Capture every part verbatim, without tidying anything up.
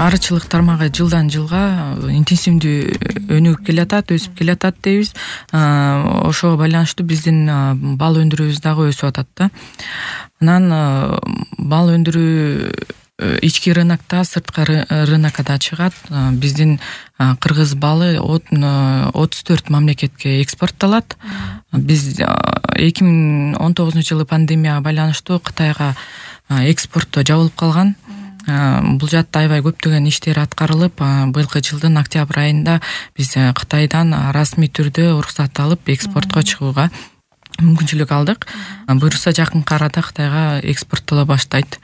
арычылык тармагы жылдан жылга интенсивдүү өнүгүп келатат, өсүп келатат дейбиз. Ошого байланыштуу биздин бал өндүрүүбүз дагы өсүп атат да. Анан бал өндүрүү ички рынокто, сырткы рынокко да чыгат. Биздин кыргыз балы отуз төрт мамлекетке экспорттолот. Биз эки миң он тогузунчу жылы пандемияга байланыштуу Кытайга экспортто жабылып калган. Бул жакта аябай көптөгөн иштер аткарылып, быйылкы жылдын октябрь айында биз Кытайдан расмий түрдө уруксат алып экспортко чыгууга мүмкүнчүлүк алдык. Буюрса жакынкы арада Кытайга экспорттоло баштайт.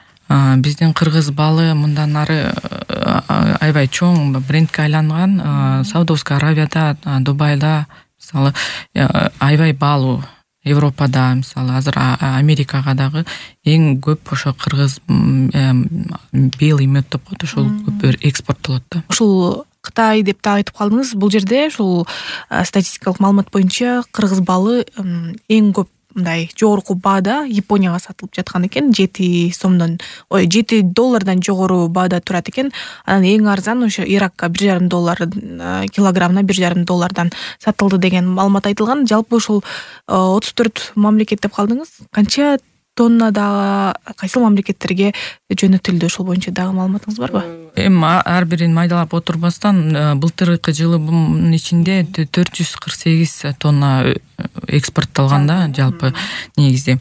Биздин кыргыз балы мындан ары аябай чоң брендке айланган. Саудовская Аравияда, Дубайда мисалы аябай бал, Европада, мисалы азыр Америкага дагы эң көп ошо кыргыз белый мед деп коет, ошол көп экспорттолот да. Ушул Кытай деп да айтып калдыңыз. Бул жерде ушул статистикалык маалымат боюнча кыргыз балы эң көп мындай жогорку баада Японияга сатылып жаткан экен. жети сомдон, ой, жети доллардан жогору баада турат экен. Анан эң арзан ошо Иракка бир жарым доллар, килограммына бир жарым доллардан сатылды деген маалымат айтылган. Жалпы ушул отуз төрт мамлекет деп калдыңыз. Канча тоннада кайсыл мамлекеттерге жөнөтүлдү? Ошол боюнча дагы маалыматыңыз барбы? Эми ар бирин майдалап отурбастан, былтыркы жылы бунун ичинде төрт жүз кырк сегиз тонна экспорттолгон да, жалпы негизде.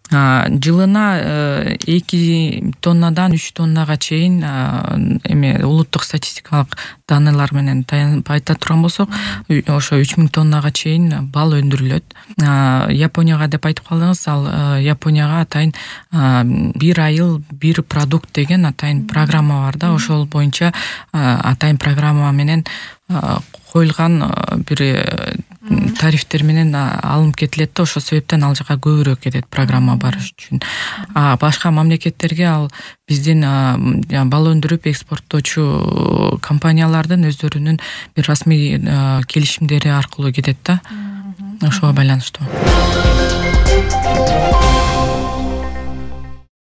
Жылына эки тоннадан үч тоннага чейин эме улуттук статистикалык данныйлар менен айта турган болсок, ошо үч миң тоннага чейин бал өндүрүлөт. Японияга деп айтып калдыңыз, ал Японияга атайын бир айыл бир продукт деген атайын программа бар да. Ошол боюнча атайын программа менен коюлган бир тарифтер менен алынып кетилет да. Ошол себептен ал жака көбүрөөк кетет программа барыш үчүн. А башка мамлекеттерге ал биздин бал өндүрүп экспорттоочу компаниялардын өздөрүнүн бир расмий келишимдери аркылуу кетет да. Ошого байланыштуу.